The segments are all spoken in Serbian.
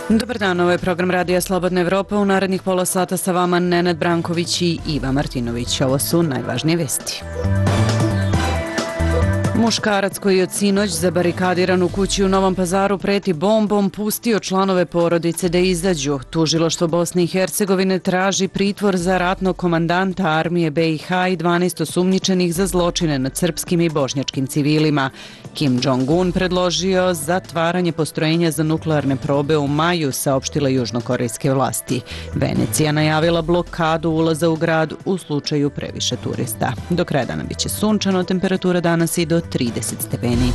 Dobar dan, ovo je program Radija Slobodna Evropa. U narednih pola sata sa vama Nenad Branković i Iva Martinović. Ovo su najvažnije vesti. Muškarac koji je od sinoć zabarikadiran u kući u Novom Pazaru preti bombom pustio članove porodice da izađu. Tužilaštvo Bosne i Hercegovine traži pritvor za ratnog komandanta armije BiH i 12 osumnjičenih za zločine nad srpskim i bošnjačkim civilima. Kim Jong-un predložio zatvaranje postrojenja za nuklearne probe u maju, saopštile južnokorejske vlasti. Venecija najavila blokadu ulaza u grad u slučaju previše turista. Do kraja dana biće sunčano, temperatura danas i do 30 stepeni.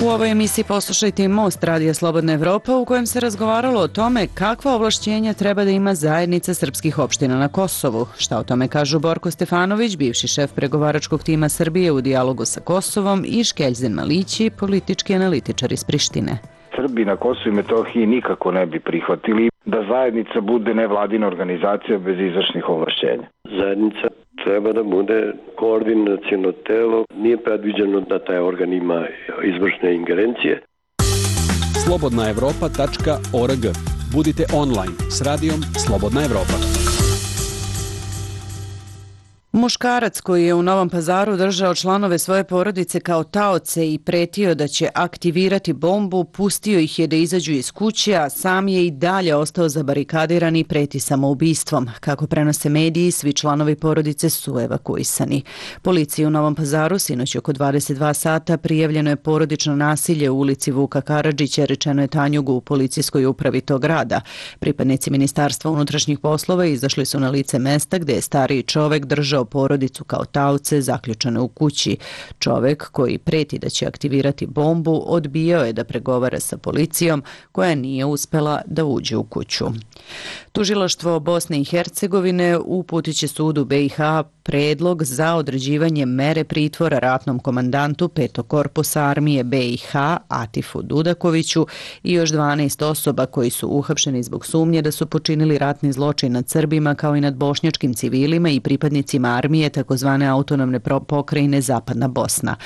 U ovoj emisiji poslušajte Most Radija Slobodna Evropa, u kojem se razgovaralo o tome kakva ovlašćenja treba da ima zajednica srpskih opština na Kosovu. Šta o tome kažu Borko Stefanović, bivši šef pregovaračkog tima Srbije u dijalogu sa Kosovom, i Škeljzen Malići, politički analitičar iz Prištine. Srbi na Kosovu i Metohiji nikako ne bi prihvatili da zajednica bude nevladina organizacija bez izvršnih ovlašćenja. Zajednica treba da bude koordinaciono telo, nije predviđeno da taj organ ima izvršne ingerencije. slobodnaevropa.org. Budite online s radijom Slobodna Evropa. Muškarac koji je u Novom Pazaru držao članove svoje porodice kao taoce i pretio da će aktivirati bombu, pustio ih je da izađu iz kuće, a sam je i dalje ostao zabarikadiran i preti samoubistvom. Kako prenose mediji, svi članovi porodice su evakuisani. Policiji u Novom Pazaru sinoć oko 22 sata prijavljeno je porodično nasilje u ulici Vuka Karadžića, rečeno je Tanjugu u policijskoj upravi tog grada. Pripadnici Ministarstva unutrašnjih poslova izašli su na lice mesta gde je stariji čovek držao porodicu kao taoce zaključane u kući. Čovek koji preti da će aktivirati bombu odbijao je da pregovara sa policijom, koja nije uspela da uđe u kuću. Tužilaštvo Bosne i Hercegovine uputit će sudu BiH predlog za određivanje mere pritvora ratnom komandantu 5. korpusa armije BiH Atifu Dudakoviću i još 12 osoba koji su uhapšeni zbog sumnje da su počinili ratni zločin nad Srbima kao i nad bošnjačkim civilima i pripadnicima armije takozvane autonomne pokrajine Zapadna Bosna.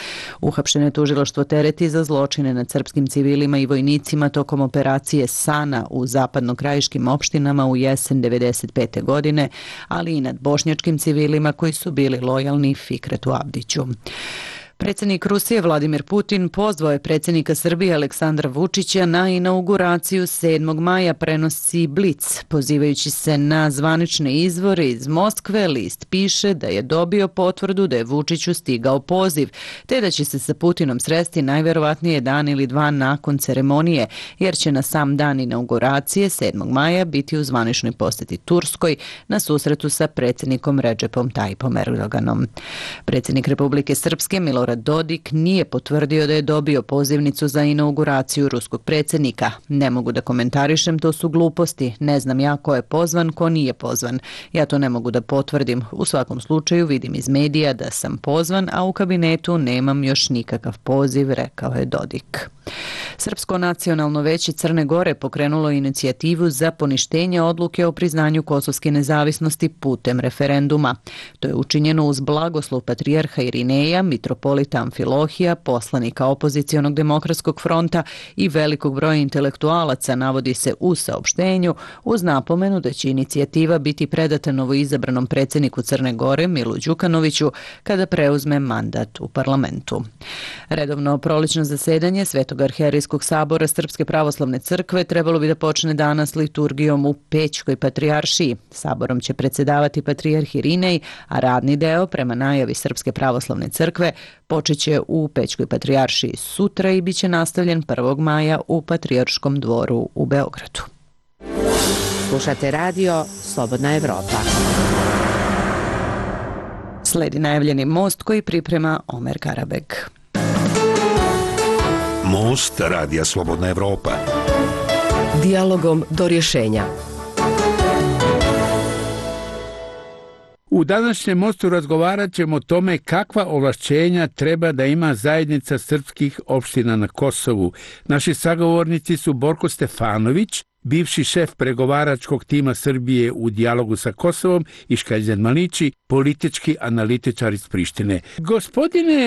Uhapšeno je tužilaštvo tereti za zločine nad srpskim civilima i vojnicima tokom operacije Sana u zapadnokrajiškim opštinama u jesen 1995. godine, ali i nad bošnjačkim civilima koji su bili lojalni Fikretu Abdiću. Predsjednik Rusije Vladimir Putin pozvao je predsjednika Srbije Aleksandra Vučića na inauguraciju 7. maja, prenosi Blic. Pozivajući se na zvanične izvore iz Moskve, list piše da je dobio potvrdu da je Vučiću stigao poziv, te da će se sa Putinom sresti najverovatnije dan ili dva nakon ceremonije, jer će na sam dan inauguracije 7. maja biti u zvaničnoj posjeti Turskoj na susretu sa predsjednikom Redžepom Tajipom Erdoganom. Predsjednik Republike Srpske Milorad Dodik nije potvrdio da je dobio pozivnicu za inauguraciju ruskog predsjednika. Ne mogu da komentarišem, to su gluposti. Ne znam ja ko je pozvan, ko nije pozvan. Ja to ne mogu da potvrdim. U svakom slučaju vidim iz medija da sam pozvan, a u kabinetu nemam još nikakav poziv, rekao je Dodik. Srpsko nacionalno veće Crne Gore pokrenulo inicijativu za poništenje odluke o priznanju kosovske nezavisnosti putem referenduma. To je učinjeno uz blagoslov patrijarha Irineja, mitropolita Amfilohija, poslanika opozicionog demokratskog fronta i velikog broja intelektualaca, navodi se u saopštenju, uz napomenu da će inicijativa biti predata novoizabranom predsjedniku Crne Gore Milu Đukanoviću kada preuzme mandat u parlamentu. Redovno prolećno zasedanje Svetog arhijerijskog sabora Srpske pravoslavne crkve trebalo bi da počne danas liturgijom u Pećkoj patrijaršiji. Saborom će predsjedavati patrijarh Irinej, a radni deo, prema najavi Srpske pravoslavne crkve, počeće u Pećkoj patrijaršiji sutra i bit će nastavljen 1. maja u Patrijarškom dvoru u Beogradu. Slušate radio Slobodna Evropa. Sledi najavljeni most koji priprema Omer Karabeg. Most Radija Slobodna Evropa. Dijalogom do rješenja. U današnjem mostu razgovarat ćemo o tome kakva ovlašćenja treba da ima zajednica srpskih opština na Kosovu. Naši sagovornici su Borko Stefanović, bivši šef pregovaračkog tima Srbije u dijalogu sa Kosovom i Škaljzan Malići, politički analitičar iz Prištine. Gospodine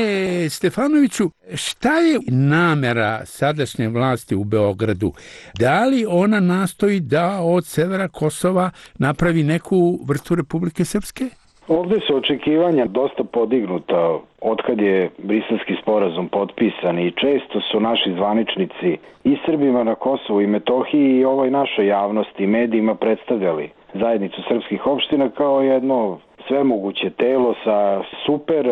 Stefanoviću, šta je namera sadašnje vlasti u Beogradu? Da li ona nastoji da od severa Kosova napravi neku vrstu Republike Srpske? Ovdje su očekivanja dosta podignuta otkad je Briselski sporazum potpisan i često su naši zvaničnici i Srbima na Kosovu i Metohiji i ovoj našoj javnosti i medijima predstavljali zajednicu srpskih opština kao jedno svemoguće telo sa super,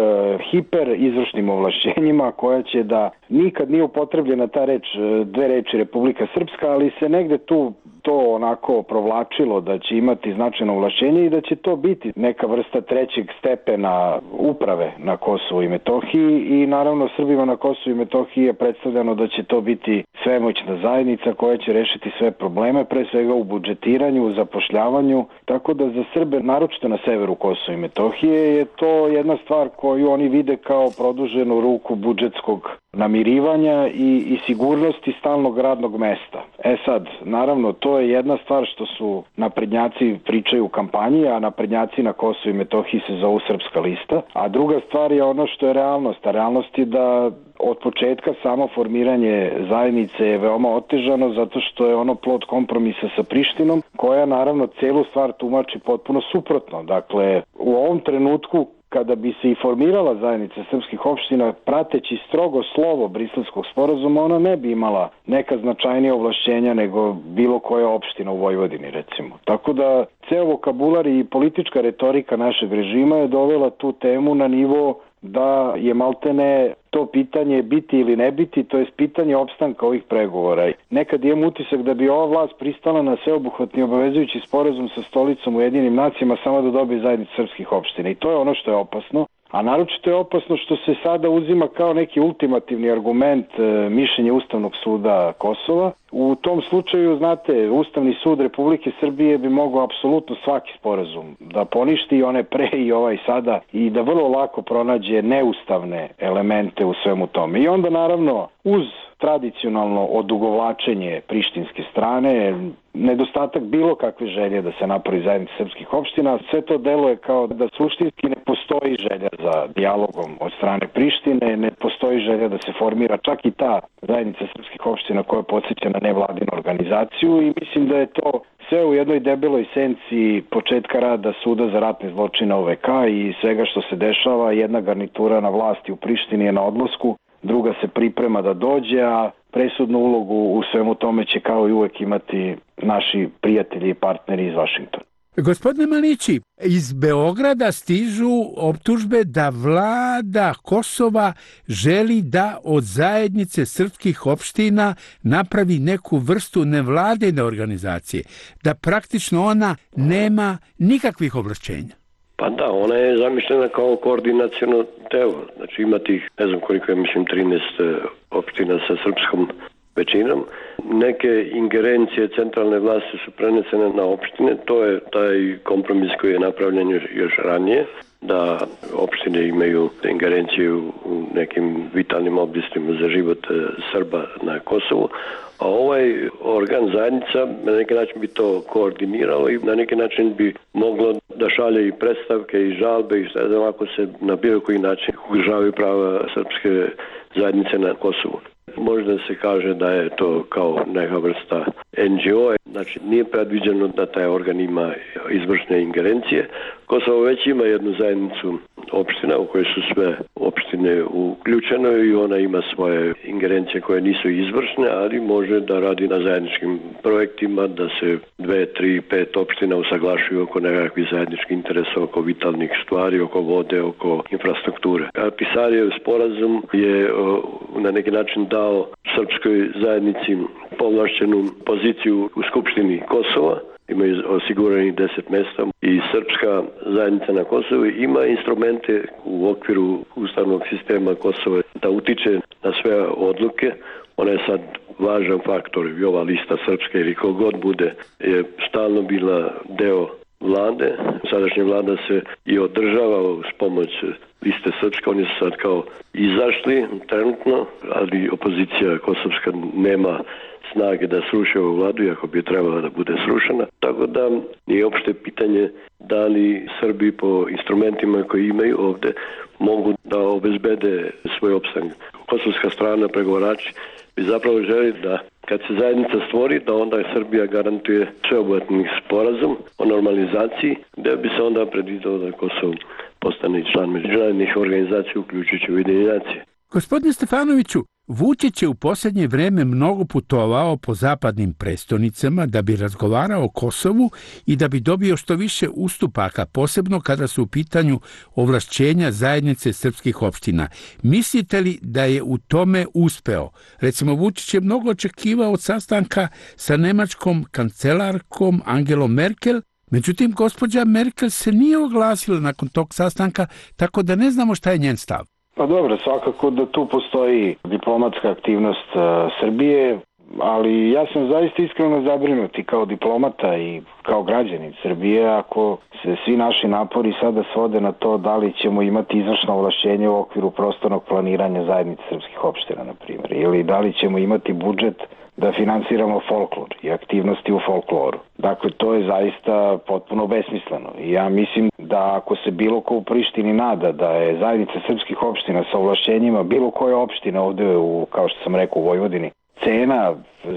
hiper izvršnim ovlašćenjima koja će da nikad nije upotrebljena ta reč, dve reči Republika Srpska, ali se negde tu to onako provlačilo da će imati značajno ovlašćenje i da će to biti neka vrsta trećeg stepena uprave na Kosovu i Metohiji i naravno Srbima na Kosovu i Metohiji je predstavljeno da će to biti svemoćna zajednica koja će rešiti sve probleme, pre svega u budžetiranju, u zapošljavanju, tako da za Srbe, naročito na severu Kosova i Metohije, je to jedna stvar koju oni vide kao produženu ruku budžetskog namirivanja i sigurnosti stalnog radnog mesta. Sad, naravno, to je jedna stvar što su naprednjaci pričaju u kampanji, a naprednjaci na Kosovu i Metohiji se zovu Srpska lista, a druga stvar je ono što je realnost. A realnost je da od početka samo formiranje zajednice je veoma otežano zato što je ono plod kompromisa sa Prištinom, koja naravno celu stvar tumači potpuno suprotno. Dakle, u ovom trenutku kada bi se i formirala zajednica srpskih opština, prateći strogo slovo Briselskog sporazuma, ona ne bi imala neka značajnija ovlašćenja nego bilo koja opština u Vojvodini, recimo. Tako da, ceo vokabular i politička retorika našeg režima je dovela tu temu na nivo da je maltene to pitanje biti ili ne biti, to je pitanje opstanka ovih pregovora. Nekad imam utisak da bi ova vlast pristala na sveobuhvatni obavezujući sporazum sa stolicom Ujedinjenim nacijama samo da dobije zajednicu srpskih opština. I to je ono što je opasno. A naročito je opasno što se sada uzima kao neki ultimativni argument mišljenje Ustavnog suda Kosova. U tom slučaju, znate, Ustavni sud Republike Srbije bi mogao apsolutno svaki sporazum da poništi, i one pre i ovaj sada, i da vrlo lako pronađe neustavne elemente u svemu tome. I onda naravno uz tradicionalno odugovlačenje prištinske strane, nedostatak bilo kakve želje da se napravi zajednica srpskih opština, sve to deluje kao da suštinski ne postoji želja za dijalogom od strane Prištine, ne postoji želja da se formira čak i ta zajednica srpskih opština koja podsjeća na nevladinu organizaciju i mislim da je to sve u jednoj debeloj senci početka rada Suda za ratne zločine OVK i svega što se dešava. Jedna garnitura na vlasti u Prištini je na odlasku, druga se priprema da dođe, a presudnu ulogu u svemu tome će kao i uvek imati naši prijatelji i partneri iz Vašingtona. Gospodine Malići, iz Beograda stižu optužbe da vlada Kosova želi da od zajednice srpskih opština napravi neku vrstu nevladine organizacije, da praktično ona nema nikakvih ovlašćenja. Pa da, ona je zamišljena kao koordinaciono telo. Znači ima tih, ne znam koliko je, mislim 13 opština sa srpskom većinom. Neke ingerencije centralne vlasti su prenesene na opštine. To je taj kompromis koji je napravljen još ranije, da opštine imaju ingerencije u nekim vitalnim oblastima za život Srba na Kosovu. A ovaj organ zajednica na neki način bi to koordiniralo i na neki način bi moglo da šalje i predstavke i žalbe i šta znam ako se na bilo koji način ugrožavaju prava srpske zajednice na Kosovu. Možda se kaže da je to kao neka vrsta NGO, znači nije predviđeno da taj organ ima izvršne ingerencije. Kosovo već ima jednu zajednicu opština u kojoj su sve opštine uključene i ona ima svoje ingerencije koje nisu izvršne, ali može da radi na zajedničkim projektima, da se 2, 3, 5 opština usaglašuju oko nekakvih zajedničkih interesa, oko vitalnih stvari, oko vode, oko infrastrukture. Pisarijev sporazum je na neki način dao srpskoj zajednici povlašćenu poziciju u Skupštini Kosova, imaju osigurani 10 mesta i srpska zajednica na Kosovu ima instrumente u okviru ustavnog sistema Kosova da utiče na sve odluke. Ona je sad važan faktor i ova lista srpska ili kogod bude je stalno bila deo vlade. Sadašnja vlada se i održava uz pomoć liste srpske. Oni su sad kao izašli trenutno, ali opozicija kosovska nema snage da sruše ovu vladu, iako bi trebala da bude srušena. Tako da je opšte pitanje da li Srbi po instrumentima koji imaju ovde mogu da obezbede svoj opstanak. Kosovska strana, pregovarači, bi zapravo želi da kad se zajednica stvori, da onda Srbija garantuje sveobuhvatni sporazum o normalizaciji, gde bi se onda predvidelo da Kosovo postane član međunarodnih organizacija, uključujući Ujedinjene nacije. Gospodine Stefanoviću, Vučić je u posljednje vreme mnogo putovao po zapadnim prestonicama da bi razgovarao o Kosovu i da bi dobio što više ustupaka, posebno kada su u pitanju ovlašćenja zajednice srpskih opština. Mislite li da je u tome uspeo? Recimo, Vučić je mnogo očekivao od sastanka sa nemačkom kancelarkom Angelom Merkel, međutim, gospođa Merkel se nije oglasila nakon tog sastanka, tako da ne znamo šta je njen stav. Pa dobro, svakako da tu postoji diplomatska aktivnost Srbije, ali ja sam zaista iskreno zabrinut i kao diplomata i kao građanin Srbije ako se svi naši napori sada svode na to da li ćemo imati izvršno ovlašćenje u okviru prostornog planiranja zajednice srpskih opština, na primjer, ili da li ćemo imati budžet da finansiramo folklor i aktivnosti u folkloru. Dakle, to je zaista potpuno besmisleno. I ja mislim da ako se bilo ko u Prištini nada da je zajednica srpskih opština sa ovlašćenjima bilo koje opštine ovde, kao što sam rekao, u Vojvodini, cena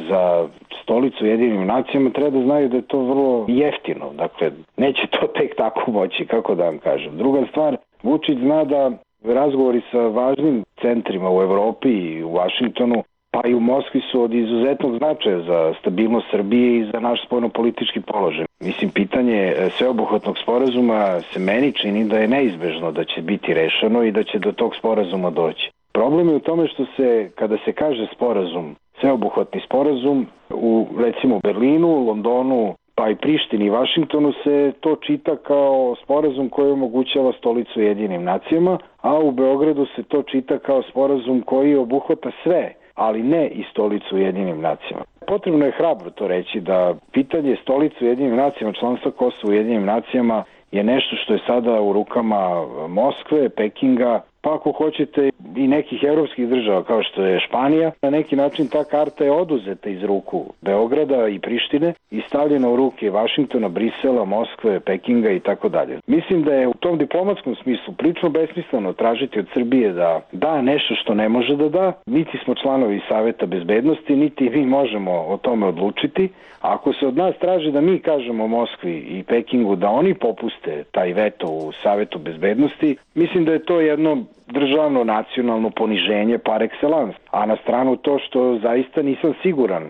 za stolicu Ujedinjenim nacijama, treba da znaju da je to vrlo jeftino. Dakle, neće to tek tako moći, kako da vam kažem. Druga stvar, Vučić zna da razgovori sa važnim centrima u Evropi i u Vašingtonu, pa i u Moskvi su od izuzetnog značaja za stabilnost Srbije i za naš spoljnopolitički položaj. Mislim, pitanje sveobuhvatnog sporazuma se meni čini da je neizbežno da će biti rešeno i da će do tog sporazuma doći. Problem je u tome što se, kada se kaže sporazum, sveobuhvatni sporazum, u recimo Berlinu, Londonu, pa i Prištini i Vašingtonu se to čita kao sporazum koji omogućava stolicu Ujedinjenim nacijama, a u Beogradu se to čita kao sporazum koji obuhvata sve, ali ne i stolicu Ujedinjenim nacijama. Potrebno je hrabro to reći da pitanje stolice Ujedinjenim nacijama, članstva Kosova u Ujedinjenim nacijama je nešto što je sada u rukama Moskve, Pekinga, pa ako hoćete i nekih evropskih država kao što je Španija. Na neki način ta karta je oduzeta iz ruku Beograda i Prištine i stavljena u ruke Vašingtona, Brisela, Moskve, Pekinga i tako dalje. Mislim da je u tom diplomatskom smislu prilično besmisleno tražiti od Srbije da da nešto što ne može da da. Niti smo članovi Saveta bezbednosti, niti mi možemo o tome odlučiti. Ako se od nas traži da mi kažemo Moskvi i Pekingu da oni popuste taj veto u Savetu bezbednosti, mislim da je to jedno državno nacionalno poniženje par excellence. A na stranu to što zaista nisam siguran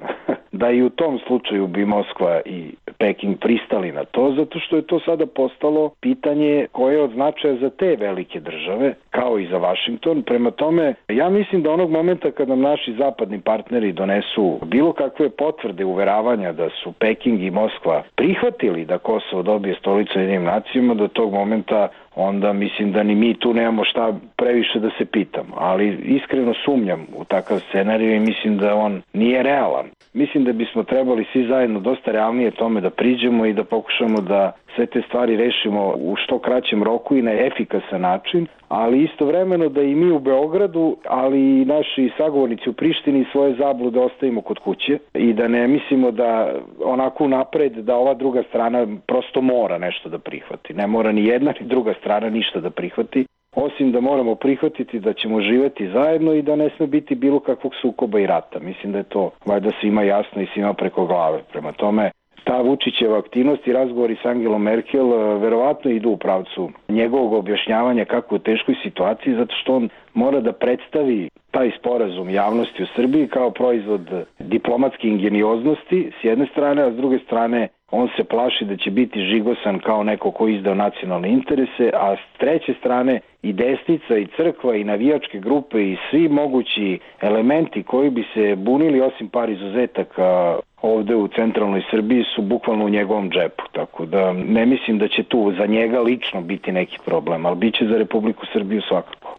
da i u tom slučaju bi Moskva i Peking pristali na to, zato što je to sada postalo pitanje koje je od značaja za te velike države, kao i za Vašington. Prema tome, ja mislim da onog momenta kad nam naši zapadni partneri donesu bilo kakve potvrde uveravanja da su Peking i Moskva prihvatili da Kosovo dobije stolicu Ujedinjenim nacijama, do tog momenta onda mislim da ni mi tu nemamo šta previše da se pitamo. Ali iskreno sumnjam u takav scenarij i mislim da on nije realan. Mislim da bismo trebali svi zajedno dosta realnije tome da priđemo i da pokušamo da sve te stvari rešimo u što kraćem roku i na efikasan način, ali istovremeno da i mi u Beogradu, ali i naši sagovornici u Prištini svoje zablude ostavimo kod kuće i da ne mislimo da onako napred da ova druga strana prosto mora nešto da prihvati. Ne mora ni jedna ni druga strana ništa da prihvati, osim da moramo prihvatiti da ćemo živeti zajedno i da ne sme biti bilo kakvog sukoba i rata. Mislim da je to valjda svima jasno i svima preko glave. Prema tome, ta Vučićeva aktivnost i razgovori s Angelom Merkel verovatno idu u pravcu njegovog objašnjavanja kako u teškoj situaciji, zato što on mora da predstavi taj sporazum javnosti u Srbiji kao proizvod diplomatske ingenioznosti s jedne strane, a s druge strane on se plaši da će biti žigosan kao neko ko izdao nacionalne interese, a s treće strane i desnica i crkva i navijačke grupe i svi mogući elementi koji bi se bunili osim par izuzetaka ovde u centralnoj Srbiji su bukvalno u njegovom džepu. Tako da ne mislim da će tu za njega lično biti neki problem, ali bit će za Republiku Srbiju svakako.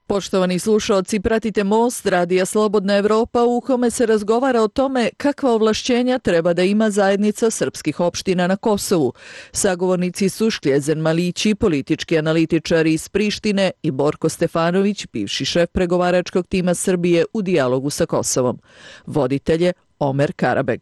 Poštovani slušaoci, pratite Most Radija Slobodna Evropa u kome se razgovara o tome kakva ovlašćenja treba da ima zajednica srpskih opština na Kosovu. Sagovornici su Škljezen Malići, politički analitičar iz Prištine, i Borko Stefanović, bivši šef pregovaračkog tima Srbije u dijalogu sa Kosovom. Voditelj je Omer Karabeg.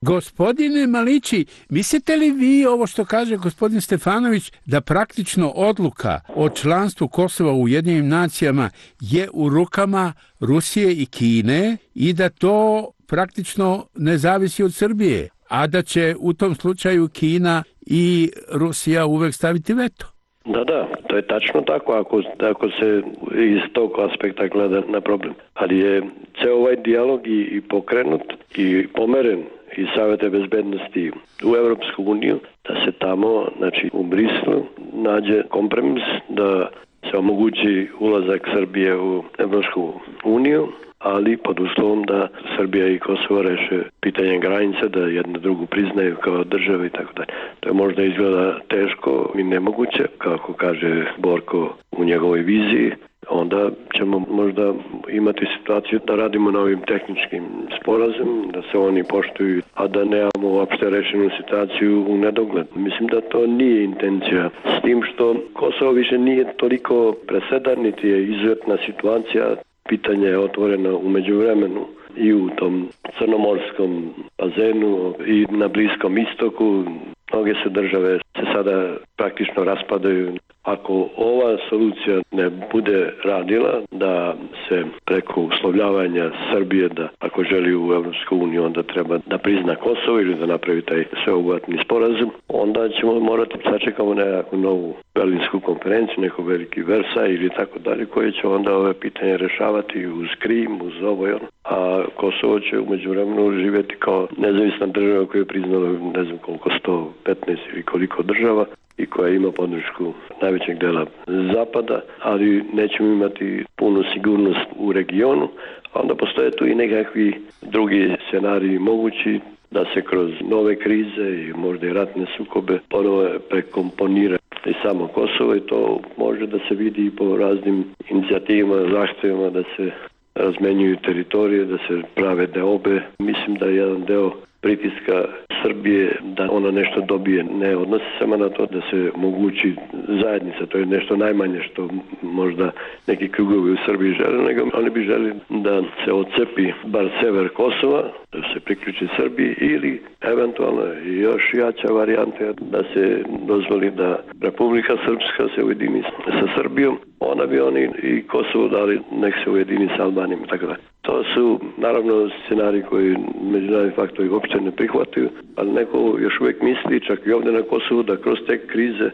Gospodine Malići, mislite li vi ovo što kaže gospodin Stefanović da praktično odluka o članstvu Kosova u Ujedinjenim nacijama je u rukama Rusije i Kine i da to praktično ne zavisi od Srbije, a da će u tom slučaju Kina i Rusija uvek staviti veto? Da, to je tačno tako ako se iz tog aspekta gleda na problem. Ali je ceo ovaj dijalog i pokrenut i pomeren iz Saveta bezbednosti u Evropsku uniju, da se tamo, znači u Brislu, nađe kompromis da se omogući ulazak Srbije u Evropsku uniju, ali pod uslovom da Srbija i Kosovo reše pitanje granice, da jedno drugu priznaju kao države i tako dalje. To je možda izgleda teško i nemoguće, kako kaže Borko u njegovoj viziji. Onda ćemo možda imati situaciju da radimo na ovim tehničkim sporazumima, da se oni poštuju, a da nemamo uopšte rešenu situaciju u nedogled. Mislim da to nije intencija. S tim što Kosovo više nije toliko presedan, niti je izuzetna situacija. Pitanje je otvoreno u međuvremenu i u tom crnomorskom bazenu i na Bliskom istoku. Mnoge se države se sada praktično raspadaju. Ako ova solucija ne bude radila, da se preko uslovljavanja Srbije, da ako želi u Evropsku uniju, onda treba da prizna Kosovo ili da napravi taj sveobuhvatni sporazum, onda ćemo morati sačekamo nekakvu novu Berlinsku konferenciju, neko veliki Versaj ili tako dalje, koji će onda ove pitanje rešavati uz Krim, uz ovo i ono. A Kosovo će u međuvremenu živjeti kao nezavisna država koja je priznala ne znam koliko, 115 ili koliko država i koja ima podršku najvećeg dela Zapada, ali nećemo imati punu sigurnost u regionu. Onda postoje tu i nekakvi drugi scenariji mogući da se kroz nove krize i možda i ratne sukobe ponovo prekomponira i samo Kosovo i to može da se vidi i po raznim inicijativama, zahtjevima da se razmenjuju teritorije, da se prave deobe. Mislim da je jedan deo pritiska Srbije da ona nešto dobije. Ne odnosi samo na to da se mogući zajednica, to je nešto najmanje što možda neki krugovi u Srbiji žele, nego oni bi želi da se odcepi bar sever Kosova, da se priključi Srbiji ili eventualno još jača varijanta da se dozvoli da Republika Srpska se ujedini sa Srbijom, onda bi oni i Kosovo dali nek se ujedini sa Albanijom i tako da. To su naravno scenariji koji međunarodni faktori uopšte ne prihvataju, ali neko još uvijek misli, čak i ovdje na Kosovu, da kroz te krize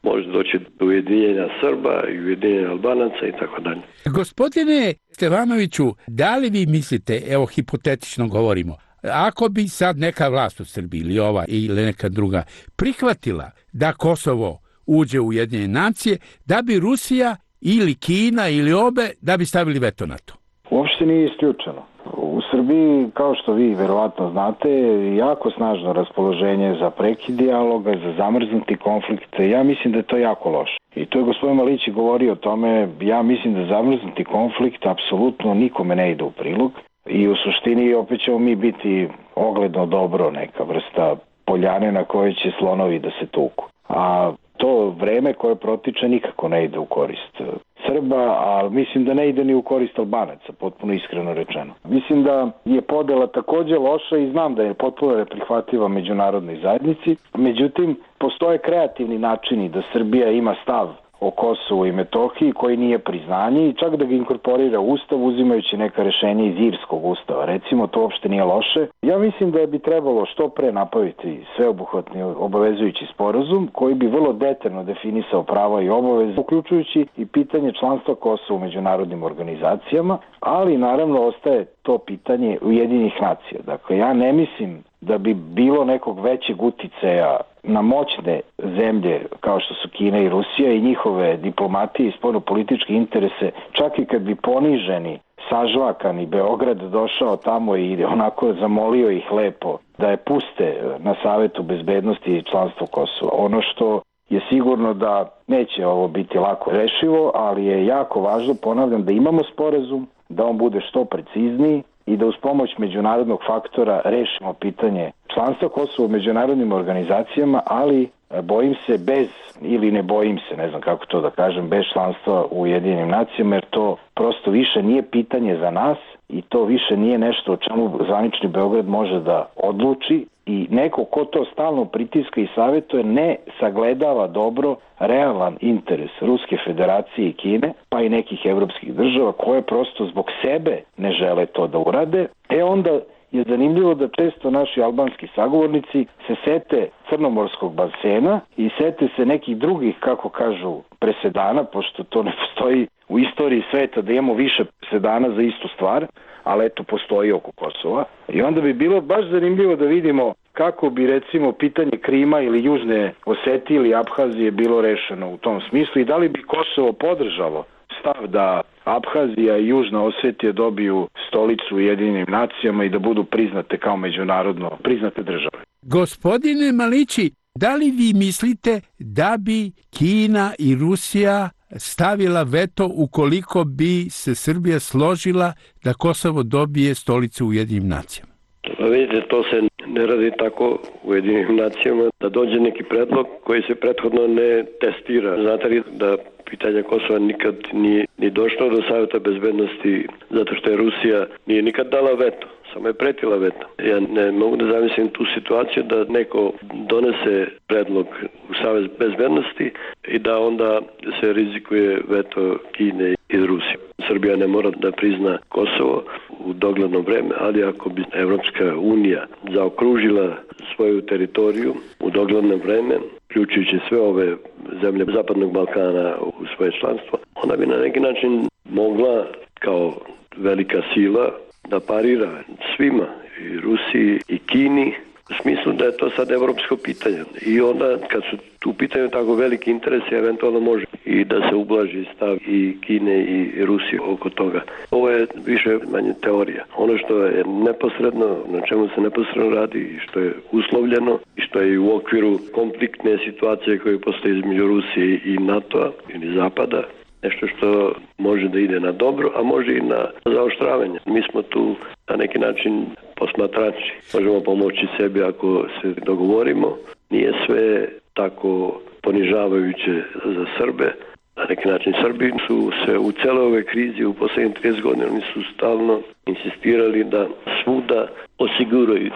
može doći do ujedinjenja Srba i ujedinjenja Albanaca i tako dalje. Gospodine Stefanoviću, da li vi mislite, evo hipotetično govorimo, ako bi sad neka vlast u Srbiji ili ova ili neka druga prihvatila da Kosovo uđe u Ujedinjene nacije, da bi Rusija ili Kina ili obe da bi stavili veto na to? Uopšte nije isključeno. U Srbiji, kao što vi verovatno znate, jako snažno raspoloženje za prekid dijaloga, za zamrznuti konflikte. Ja mislim da je to jako loše. I to je gospodin Malić govorio o tome. Ja mislim da zamrznuti konflikt apsolutno nikome ne ide u prilog. I u suštini opet ćemo mi biti ogledno dobro, neka vrsta poljane na kojoj će slonovi da se tuku. A to vreme koje protiče nikako ne ide u korist Srba, a mislim da ne ide ni u korist Albanaca, potpuno iskreno rečeno. Mislim da je podela također loša i znam da je potpuno neprihvatljiva međunarodnoj zajednici. Međutim, postoje kreativni načini da Srbija ima stav o Kosovu i Metohiji koji nije priznanje i čak da ga inkorporira u Ustav uzimajući neka rešenja iz Irskog ustava. Recimo, to uopšte nije loše. Ja mislim da bi trebalo što pre napraviti sveobuhvatni obavezujući sporazum koji bi vrlo detaljno definisao prava i obaveze, uključujući i pitanje članstva Kosova u međunarodnim organizacijama, ali naravno ostaje to pitanje Ujedinjenih nacija. Dakle, ja ne mislim da bi bilo nekog većeg uticaja na moćne zemlje kao što su Kina i Rusija i njihove diplomatije i spoljnopolitičke interese, čak i kad bi poniženi, sažvakani Beograd došao tamo i onako zamolio ih lepo da je puste na Savetu bezbednosti i članstvo Kosova. Ono što je sigurno da neće ovo biti lako rešivo, ali je jako važno, ponavljam, da imamo sporazum, da on bude što precizniji i da uz pomoć međunarodnog faktora rešimo pitanje članstva Kosova u međunarodnim organizacijama, ali bojim se bez, ili ne bojim se, ne znam kako to da kažem, bez članstva u Ujedinjenim nacijama, jer to prosto više nije pitanje za nas i to više nije nešto o čemu zvanični Beograd može da odluči i neko ko to stalno pritiska i savjetuje ne sagledava dobro realan interes Ruske federacije i Kine, pa i nekih evropskih država koje prosto zbog sebe ne žele to da urade. Onda je zanimljivo da često naši albanski sagovornici se sete crnomorskog basena i sete se nekih drugih, kako kažu, presedana, pošto to ne postoji u istoriji sveta da imamo više presedana za istu stvar, ali eto postoji oko Kosova. I onda bi bilo baš zanimljivo da vidimo kako bi recimo pitanje Krima ili Južne Osetije ili Abhazije bilo rešeno u tom smislu i da li bi Kosovo podržalo stav da Abhazija i Južna Osetija dobiju stolicu u Ujedinjenim nacijama i da budu priznate kao međunarodno priznate države. Gospodine Malići, da li vi mislite da bi Kina i Rusija stavila veto ukoliko bi se Srbija složila da Kosovo dobije stolicu u Ujedinjenim nacijama? Vidite, to se ne radi tako u Ujedinjenim nacijama da dođe neki predlog koji se prethodno ne testira. Znate li da pitanje Kosova nikad nije ni došlo do Savjeta bezbednosti zato što je Rusija nije nikad dala veto, samo je pretila veto. Ja ne mogu da zamislim tu situaciju da neko donese predlog u Savjet bezbednosti i da onda se rizikuje veto Kine i Rusije. Srbija ne mora da prizna Kosovo u dogledno vreme, ali ako bi Evropska unija zaokružila svoju teritoriju u dogledno vreme, uključujući sve ove zemlje Zapadnog Balkana u svoje članstvo, onda bi na neki način mogla kao velika sila da parira svima, i Rusiji i Kini, u smislu da je to sad evropsko pitanje. I onda kad su tu pitanju tako veliki interesi, eventualno može i da se ublaži stav i Kine i Rusije oko toga. Ovo je više manje teorija. Ono što je neposredno, na čemu se neposredno radi i što je uslovljeno i što je u okviru konfliktne situacije koje postoje između Rusije i NATO-a ili Zapada, nešto što može da ide na dobro, a može i na zaoštravanje. Mi smo tu na neki način posmatrači. Možemo pomoći sebi ako se dogovorimo. Nije sve tako ponižavajuće za Srbe. Na neki način Srbi su se u celoj ovoj krizi u posljednjih 30 godina oni su stalno insistirali da svuda osiguraju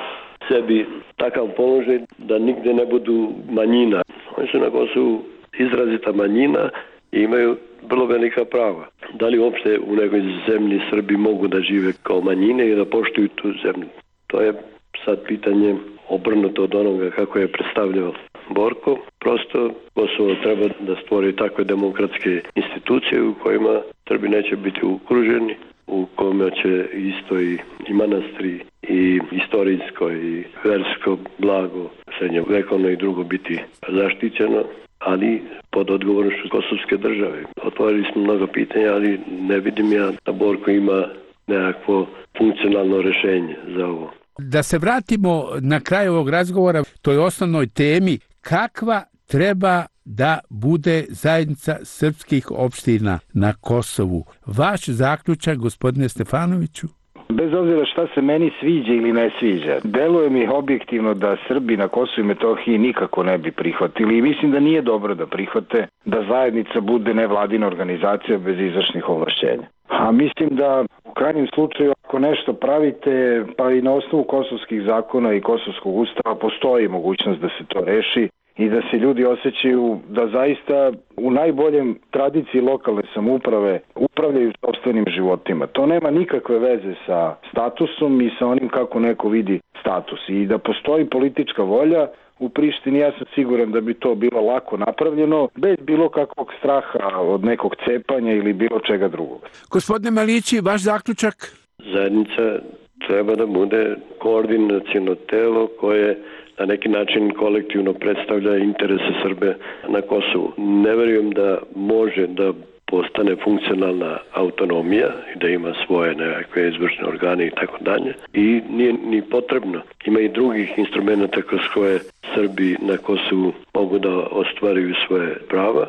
sebi takav položaj da nigde ne budu manjina. Oni su na Kosovu izrazita manjina i imaju vrlo velika prava. Da li uopšte u nekoj zemlji Srbi mogu da žive kao manjine i da poštuju tu zemlju? To je sad pitanje obrnuto od onoga kako je predstavljao Borko. Prosto Kosovo treba da stvori takve demokratske institucije u kojima Srbi neće biti okruženi, u kojima će isto i manastri i istorijsko i versko blago srednjovekovno i drugo biti zaštićeno, ali pod odgovornošću kosovske države. Otvorili smo mnogo pitanja, ali ne vidim ja da Borko ima nekakvo funkcionalno rešenje za ovo. Da se vratimo na kraj ovog razgovora, toj osnovnoj temi, kakva treba da bude zajednica srpskih opština na Kosovu? Vaš zaključak, gospodine Stefanoviću? Bez obzira šta se meni sviđa ili ne sviđa, deluje mi objektivno da Srbi na Kosovu i Metohiji nikako ne bi prihvatili i mislim da nije dobro da prihvate da zajednica bude nevladina organizacija bez izvršnih ovlašćenja. A mislim da u krajnjem slučaju ako nešto pravite, pa i na osnovu kosovskih zakona i kosovskog ustava postoji mogućnost da se to reši i da se ljudi osjećaju da zaista u najboljem tradiciji lokalne samouprave upravljaju sopstvenim životima. To nema nikakve veze sa statusom i sa onim kako neko vidi status. I da postoji politička volja u Prištini, ja sam siguran da bi to bilo lako napravljeno, bez bilo kakvog straha od nekog cepanja ili bilo čega drugog. Gospodine Malići, vaš zaključak? Zajednica treba da bude koordinaciono telo koje na neki način kolektivno predstavlja interese Srbe na Kosovu. Ne verujem da može da postane funkcionalna autonomija i da ima svoje nekakve izvršne organe i tako dalje. I nije ni potrebno. Ima i drugih instrumenta kroz koje Srbi na Kosovu mogu da ostvaruju svoje prava.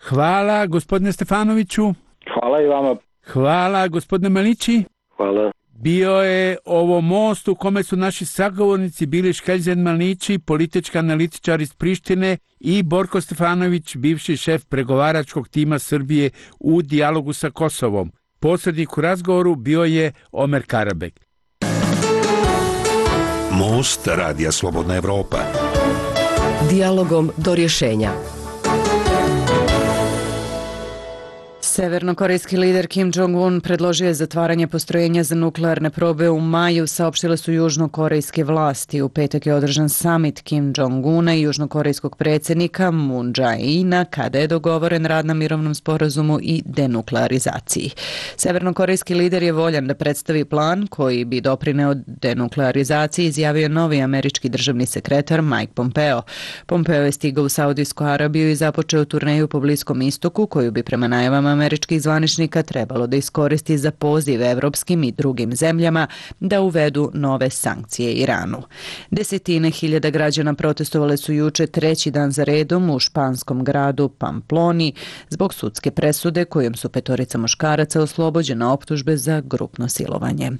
Hvala, gospodine Stefanoviću. Hvala i vama. Hvala, gospodine Malići. Hvala. Bio je ovo most u kome su naši sagovornici bili Škeljzen Malići, politički analitičar iz Prištine, i Borko Stefanović, bivši šef pregovaračkog tima Srbije u dijalogu sa Kosovom. Posrednik u razgovoru bio je Omer Karabek. Most Radija Slobodna Evropa. Dijalogom do rješenja. Severnokorejski lider Kim Jong-un predložio je zatvaranje postrojenja za nuklearne probe u maju, saopštile su južnokorejske vlasti. U petak je održan summit Kim Jong-una i južnokorejskog predsjednika Moon Jae-ina, kada je dogovoren rad na mirovnom sporazumu i denuklearizaciji. Severnokorejski lider je voljan da predstavi plan koji bi doprineo denuklearizaciji, izjavio novi američki državni sekretar Mike Pompeo. Pompeo je stigao u Saudijsku Arabiju i započeo turneju po Bliskom istoku, koju bi prema najavama američkih zvaničnika trebalo da iskoristi za poziv evropskim i drugim zemljama da uvedu nove sankcije Iranu. Desetine hiljada građana protestovale su juče treći dan za redom u španskom gradu Pamploni zbog sudske presude kojom su 5 muškaraca oslobođena optužbe za grupno silovanje.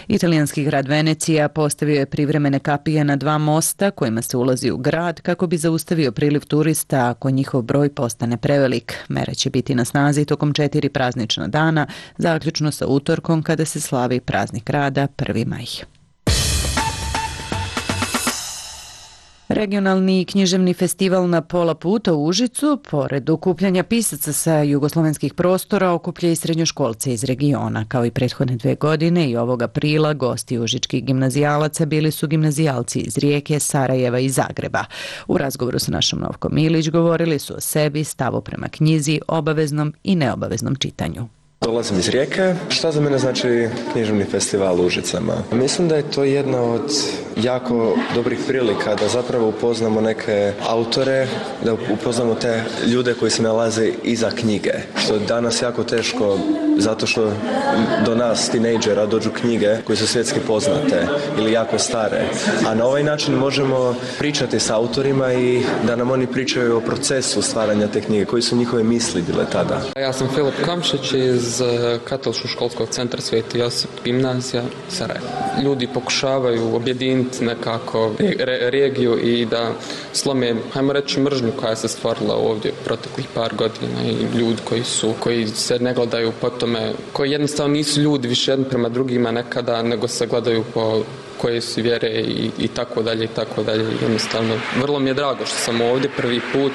Italijanski grad Venecija postavio je privremene kapije na 2 mosta kojima se ulazi u grad kako bi zaustavio priliv turista ako njihov broj postane prevelik. Mere će biti na snazi tokom 4 praznična dana, zaključno sa utorkom kada se slavi praznik rada 1. maj. Regionalni književni festival Na pola puta u Užicu, pored okupljanja pisaca sa jugoslovenskih prostora, okuplja i srednjoškolce iz regiona. Kao i prethodne 2 godine i ovog aprila, gosti užičkih gimnazijalaca bili su gimnazijalci iz Rijeke, Sarajeva i Zagreba. U razgovoru sa našom Novkom Milić govorili su o sebi, stavu prema knjizi, obaveznom i neobaveznom čitanju. Dolazim iz Rijeke. Šta za mene znači književni festival u Užicama? Mislim da je to jedna od jako dobrih prilika da zapravo upoznamo neke autore, da upoznamo te ljude koji se nalaze iza knjige. Što je danas jako teško zato što do nas, tinejdžera, dođu knjige koje su svjetski poznate ili jako stare. A na ovaj način možemo pričati s autorima i da nam oni pričaju o procesu stvaranja te knjige, koji su njihove misli bile tada. Ja sam Filip Kamšić iz Katoličkog školskog centra Sveti Josip, gimnazija Sarajevo. Ljudi pokušavaju objediniti nekako regiju i da slome, hajmo reći, mržnju koja se stvorila ovdje proteklih par godina i ljudi koji se ne gledaju po tome, koji jednostavno nisu ljudi više jedni prema drugima nekada, nego se gledaju po koje su vjere i tako dalje i tako dalje. Jednostavno, vrlo mi je drago što sam ovdje prvi put.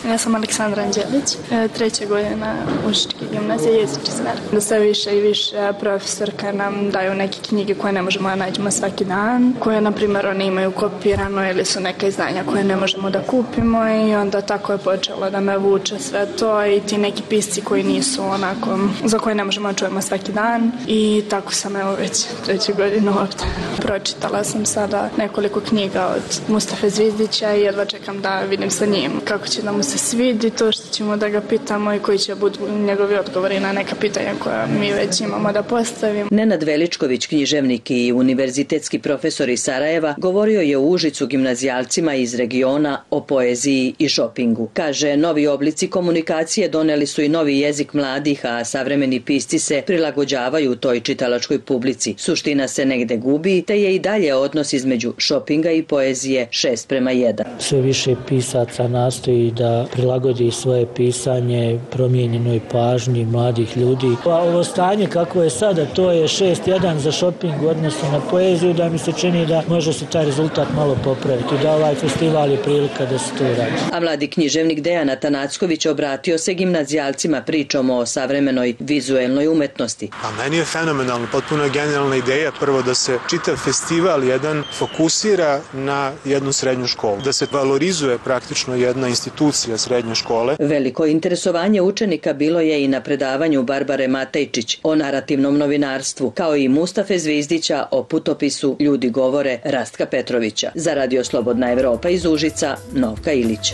Ja sam Aleksandra Anđelić, 3. godina Užičke gimnazije, jezični smer. Da sve više i više profesorka nam daju neke knjige koje ne možemo da nađemo svaki dan, koje, na primjer, one imaju kopirano ili su neka izdanja koje ne možemo da kupimo i onda tako je počelo da me vuče sve to i ti neki pisci koji nisu onako, za koje ne možemo da čujemo svaki dan i tako sam evo već 3. godinu ovdje. Pročitala sam sada nekoliko knjiga od Mustafe Zvizdića i jedva čekam da vidim sa njim kako će da mu se svidi to što ćemo da ga pitamo i koji će budu njegovi odgovori na neka pitanja koja mi već imamo da postavimo. Nenad Veličković, književnik i univerzitetski profesor iz Sarajeva, govorio je u Užicu gimnazijalcima iz regiona o poeziji i šopingu. Kaže, novi oblici komunikacije doneli su i novi jezik mladih, a savremeni pisci se prilagođavaju toj čitalačkoj publici. Suština se negde gubi, te je i dalje odnos između šopinga i poezije 6:1. Sve više pisaca nastoji da prilagodi svoje pisanje promijenjenoj pažnji mladih ljudi. Ovo stanje kako je sada, to je 6:1 za šoping u odnosu na poeziju, da mi se čini da može se taj rezultat malo popraviti, da ovaj festival je prilika da se to radi. A mladi književnik Dejan Atanacković obratio se gimnazijalcima pričom o savremenoj vizuelnoj umetnosti. A meni je fenomenalno, potpuno genijalna ideja prvo da se čitav festival jedan fokusira na jednu srednju školu, da se valorizuje praktično jedna institucija srednje škole. Veliko interesovanje učenika bilo je i na predavanju Barbare Matejčić o narativnom novinarstvu, kao i Mustafe Zvizdića o putopisu Ljudi govore Rastka Petrovića. Za Radio Slobodna Evropa iz Užica, Novka Ilić.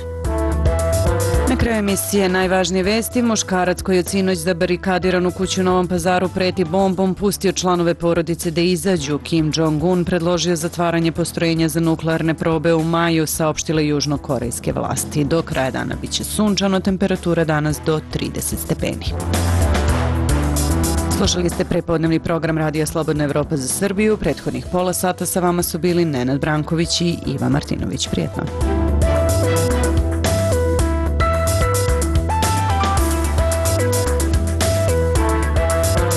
Na kraju emisije najvažnije vesti, muškarac koji je sinoć zabarikadiran u kuću u Novom Pazaru preti bombom, pustio članove porodice da izađu. Kim Jong-un predložio zatvaranje postrojenja za nuklearne probe u maju, saopštile južnokorejske vlasti. Do kraja dana biće sunčano, temperatura danas do 30 stepeni. Slušali ste prepodnevni program Radija Slobodna Evropa za Srbiju. Prethodnih pola sata sa vama su bili Nenad Branković i Iva Martinović. Prijetno.